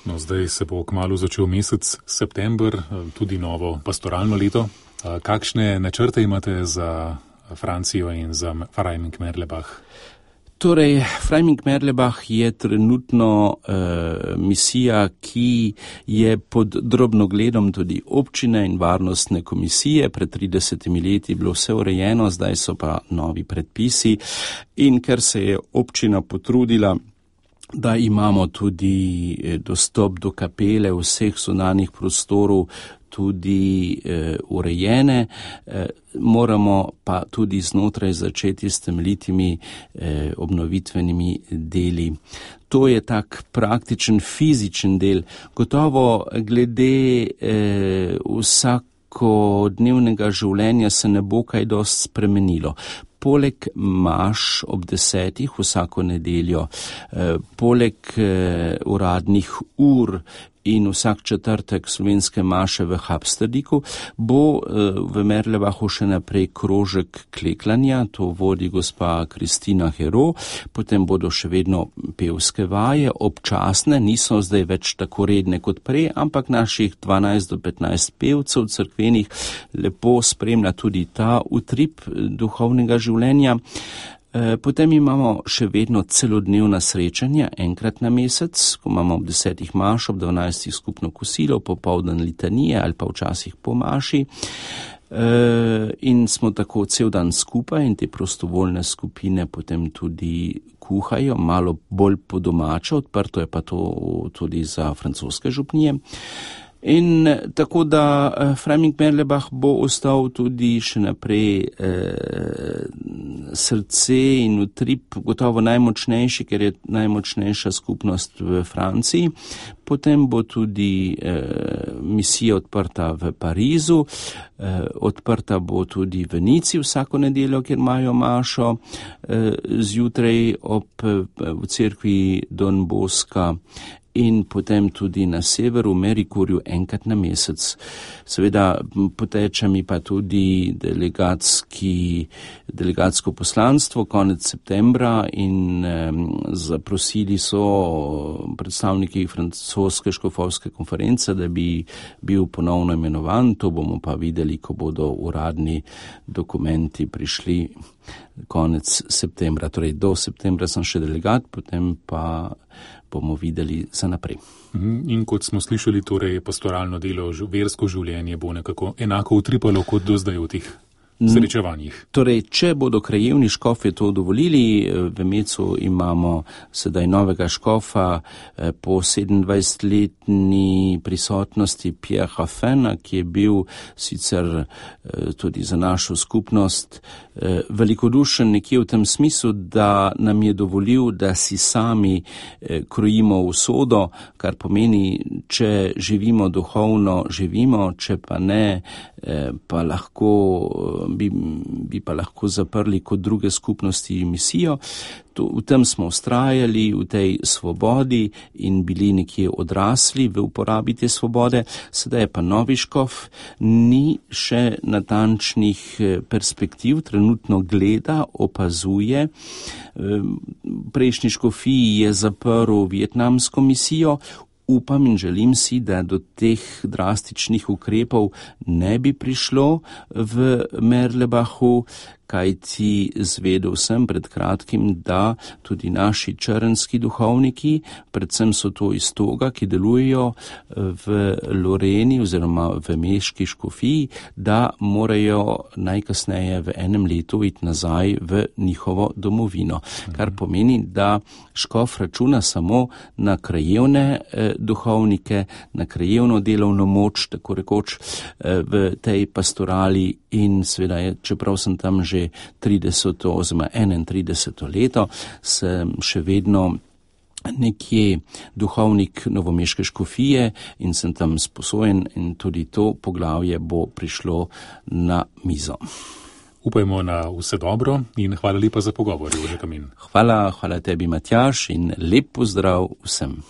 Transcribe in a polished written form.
No, zdaj se bo kmalu začel mesec september, tudi novo pastoralno leto. Kakšne načrte imate za Francijo in za Freiming-Merlebach? Torej, Freiming-Merlebach je trenutno misija, ki je pod drobnogledom tudi občine in varnostne komisije. Pred 30 leti je bilo vse urejeno, zdaj so pa novi predpisi in ker se je občina potrudila, da imamo tudi dostop do kapele, vseh zunanjih prostorov tudi urejene, moramo pa tudi znotraj začeti s temeljitimi obnovitvenimi deli. To je tak praktičen fizičen del. Gotovo glede vsakodnevnega življenja se ne bo kaj dosti spremenilo. Poleg maš ob 10 vsako nedeljo, poleg uradnih ur in vsak četrtek slovenske maše v Habsterdiku, bo v Merlebachu še naprej krožek kleklanja, to vodi gospa Kristina Hero, potem bodo še vedno pevske vaje, občasne, niso zdaj več tako redne kot prej, ampak naših 12 do 15 pevcev cerkvenih lepo spremlja tudi ta utrip duhovnega življenja. Potem imamo še vedno celodnevna srečanja, enkrat na mesec, ko imamo ob 10 maš, ob 12 skupno kosilo, popoldan litanije ali pa včasih po maši. In smo tako cel dan skupaj in te prostovoljne skupine potem tudi kuhajo, malo bolj po domače, odprto je pa to tudi za francoske župnije. In tako da Freiming-Merlebach bo ostal tudi še naprej srce in utrip gotovo najmočnejši, ker je najmočnejša skupnost v Franciji. Potem bo tudi misija odprta v Parizu, odprta bo tudi v Nici vsako nedeljo, kjer imajo mašo zjutraj v cerkvi Don Bosca. In potem tudi na severu, v Merikurju, enkrat na mesec. Seveda poteče mi pa tudi delegatsko poslanstvo konec septembra in zaprosili so predstavniki francoske škofovske konference, da bi bil ponovno imenovan. To bomo pa videli, ko bodo uradni dokumenti prišli konec septembra. Torej do septembra sem še delegat, potem pa bomo videli za naprej. In kot smo slišali, torej pastoralno delo, versko življenje bo nekako enako utripalo kot do zdaj v teh srečevanjih. Torej, če bodo krajevni škofje to dovolili, v Mecu imamo sedaj novega škofa po 27-letni prisotnosti Pierre Raffena, ki je bil sicer tudi za našo skupnost velikodušen nekje v tem smislu, da nam je dovolil, da si sami krojimo usodo, kar pomeni, če živimo duhovno, živimo, če pa ne, pa lahko bi pa lahko zaprli kot druge skupnosti misijo. V tem smo vztrajali, v tej svobodi in bili nekje odrasli v uporabi te svobode. Sedaj je pa novi škof, ni še natančnih perspektiv, trenutno gleda, opazuje. Prejšnji škofiji je zaprl vietnamsko misijo. Upam in želim si, da do teh drastičnih ukrepov ne bi prišlo v Merlebachu, kajti zvedel sem pred kratkim, da tudi naši črnski duhovniki, predvsem so to iz Toga, ki delujejo v Loreni oziroma v Meški škofiji, da morajo najkasneje v enem letu iti nazaj v njihovo domovino. Kar pomeni, da škof računa samo na krajevne duhovnike, na krajevno delovno moč, tako rekoč v tej pastorali in seveda je, čeprav sem tam že 30. oziroma 31. leto, sem še vedno nekje duhovnik novomeške škofije in sem tam sposojen in tudi to poglavje bo prišlo na mizo. Upajmo na vse dobro in hvala lepa za pogovor, Jože Kamin. Hvala tebi, Matjaž, in lep pozdrav vsem.